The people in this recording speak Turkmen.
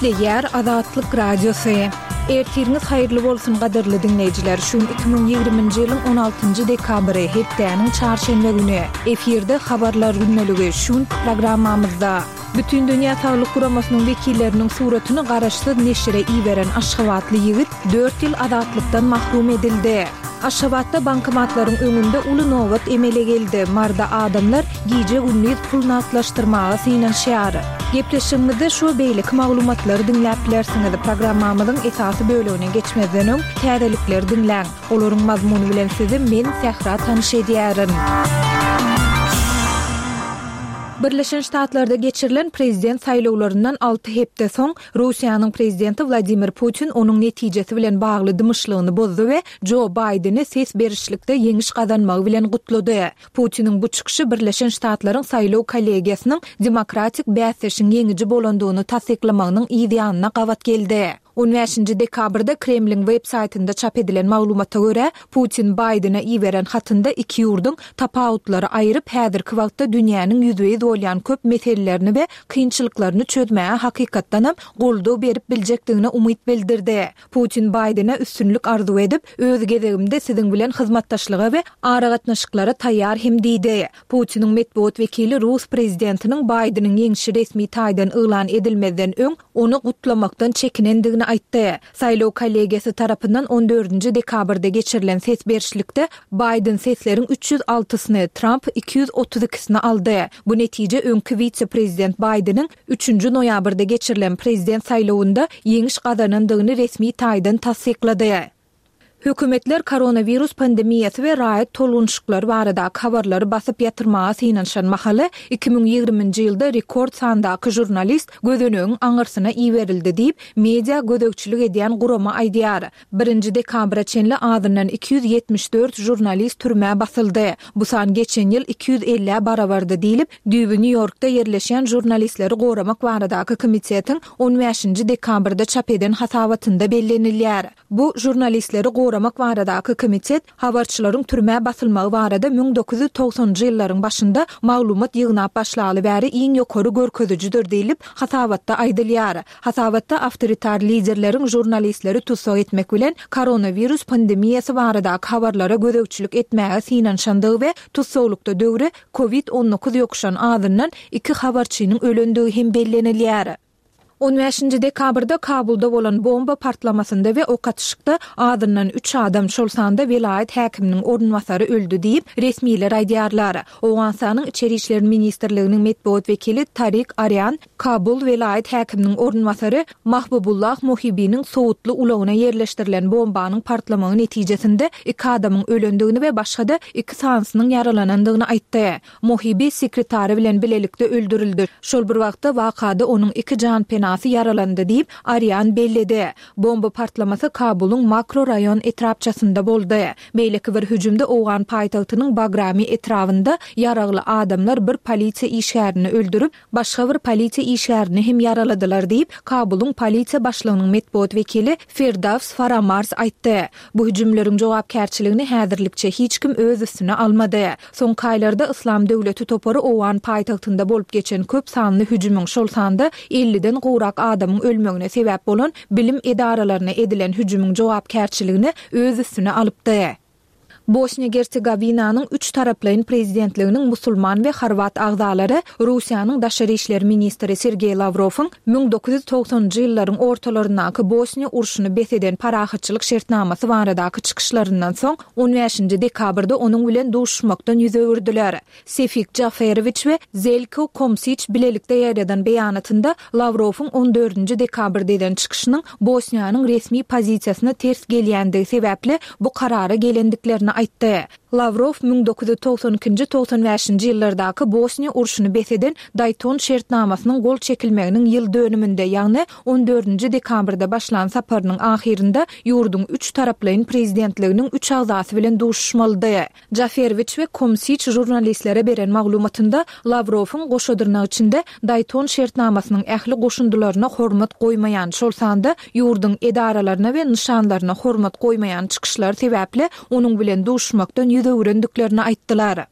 Gepleýär Azatlyk Radiosy. Ertiriňiz haýyrly bolsun gadyrly diňleýjiler. Şu gün 2020-nji ýylyň 16-njy dekabry, hepdäniň çarşenbe güni. Efirde habarlar gündeligi şu günki programmamyzda. Bütindünýä Saglyk Guramasynyň wekilleriniň suratyny garaşsyz neşire iberen aşgabatly ýigit dört ýyl azatlykdan mahrum edildi. Aşgabatda bankomatlaryň öňünde uly nobat emele geldi. Maryda adamlar gije-gündiz pul nagtlaşdyrmaga synanyşýar. Gepleşigimizde şu we beýleki maglumatlary diňläp bilersiňiz. Programmamyzyň esasy bölegine geçmezden öň, täzelikleri diňläň. Olaryň mazmuny bilen sizi men, Sähra tanyş edýärin. Birleşen Ştatlarda geçirilen prezident saýlawlaryndan alty hepde soň, Russiýanyň prezidenti Wladimir Putin onuň netijesi bilen bagly dymyşlygyny bozdy we Jo Baýdeni ses berişlikde ýeňiş gazanmagy bilen gutlady. Putiniň bu çykyşy Birleşen Ştatlaryň saýlaw kollegiýasynyň demokratik bäsdeşiň ýeňiji bolandygyny tassyklamagynyň yz ýanyna gabat geldi. On bäşinji dekabrda Kremliň web saýtynda çap edilen maglumata görä, Putin Baýdene iberen hatynda iki ýurduň tapawutlary aýryp, häzirki wagtda dünýäniň ýüzbe-ýüz bolýan köp meselelerini we kynçylyklaryny çözmäge hakykatdanam goldaw berip biljekdigine umyt bildirdi. Putin Baýdene üstünlik arzuw edip, Öz gezegimde siziň bilen hyzmatdaşlyga we aragatnaşyklara taýýar hem diýdi. Putiniň metbugat wekili rus prezidentiniň Baýdeniň ýeňşi resmi taýdan yglan edilmezden öň ony gutlamakdan çekinendigini aýtdy. Saýlaw kollegiýasy tarapyndan on dördünji dekabrda geçirilen ses berişlikde Baýden sesleriň üç ýüz altysyny, Tramp 232 ikisini aldy. Bu netije öňki wise-prezident Baýdeniň üçünji noýabrda geçirilen prezident saýlawynda ýeňiş gazanandygyny resmi taýdan tassyklady. Hökümetler koronawirus pandemiýasy we raýat tolgunyşyklary baradaky habarlary basyp ýatyrmaga synanyşan mahaly, 2020-nji ýylda rekord sandaky žurnalist gözenegiň aňyrsyna iberildi diýip, media gözegçilik edýän gurama aýdýar. Birinji dekabra çenli azyndan 274 žurnalist türmä basyldy. Bu san geçen ýyl 250-ä barabardy diýlip, düýbi Nýu-Ýorkda ýerleşýän Žurnalistleri goramak baradaky komitetiň on bäşinji dekabrda çap eden hasabatynda bellenilýär. Bu Žurnalistleri goramak baradaky komitet habarçylaryň türmä basylmagy barada 1990-njy ýyllaryň başynda maglumat ýygnap başlaly bäri iň ýokary görkezijidir diýlip, hasabatda aýdylýar. Hasabatda awtoritar liderleriň žurnalistleri tussag etmek bilen koronawirus pandemiýasy baradaky habarlara gözegçilik etmäge synanyşandygy we tussaglykda döwri Covid 19 ýokuşan azyndan iki habarçynyň ölendigi hem bellenilýär. On bäşinji dekabrda Kabulda bolan bomba partlamasynda we ok atyşykda azyndan üç adam, şol sanda welaýat häkiminiň orunbasary öldi diýip, resmiler aýdýarlar. Owganystanyň Içeri işler ministrliginiň metbugat wekili Tarik Arian Kabul welaýat häkiminiň orunbasary Mahbubullah Mohibiniň sowutly ulagyna ýerleşdirilen bombanyň partlamagy netijesinde iki adamyň ölendigini we başga-da iki sanysynyň ýaralanandygyny aýtdy. Mohibi sekretary bilen bilelikde öldürildi. Şol bir wagtda, wakada onuň iki janpenasy ýaralandy diýip, Arian belledi. Bomba partlamasy Kabulyň Makro raýon etrapçasynda boldy. Beýleki bir hüjümde owgan paýtagtynyň Bagrami etrabynda ýaragly adamlar bir polisiýa işgärini öldürip, başga bir polisiýa işgärini hem ýaraladylar diýip, Kabulyň polisiýa başlygynyň metbugat wekili Ferdaws Faramarz aýtdy. Bu hüjümleriň jogapkärçiligini häzirlikçe hiç kim öz üstüne almady. Soňky aýlarda Yslam döwleti topary owgan paýtagtynda bolup geçen köp sanly hüjümiň, şol sanda elliden gowrak adamyň ölmegine sebäp bolan bilim edaralaryna edilen hüjümiň jogapkärçiligini öz üstüne alypdy. Bosniýa-Gersegowinanyň üç taraplaýyn prezidentliginiň musulman we horwat agzalary Russiýanyň daşary işler ministri Sergeý Lawrowyň 1990-njy ýyllaryň ortalaryndaky Bosniýa urşuny bes eden parahatçylyk şertnamasy baradaky çykyşlaryndan soň on bäşinji dekabrda onuň bilen duşuşmakdan ýüz öwürdiler. Sefik Jaferowiç we Zelko Komsiç bilelikde ýaýradan beýanatynda Lawrowyň on dördünji dekabrda eden çykyşynyň Bosniýanyň resmi pozisiýasyna ters gelýändigi sebäpli bu karara gelendiklerini aýtdy. Lawrow 1992-nji, 95-nji ýyllardaky Bosniýa urşuny bes eden Daýton şertnamasynyň gol çekilmeginiň ýyl dönüminde, ýagny on dördünji dekabrda başlan saparynyň ahyrynda ýurduň üç taraplaýyn prezidentliginiň üç agzasy bilen duşuşmalydy. Jaferwiç we Komsiç žurnalistlere beren maglumatynda Lawrowyň goşa dyrnak içinde Daýton şertnamasynyň ähli goşundylaryna hormat goýmaýan, şol sanda ýurduň edaralaryna we nyşanlaryna hormat goýmaýan çykyşlary sebäpli onuň bilen duşuşmakdan ýüz öwürendiklerini aýtdylar.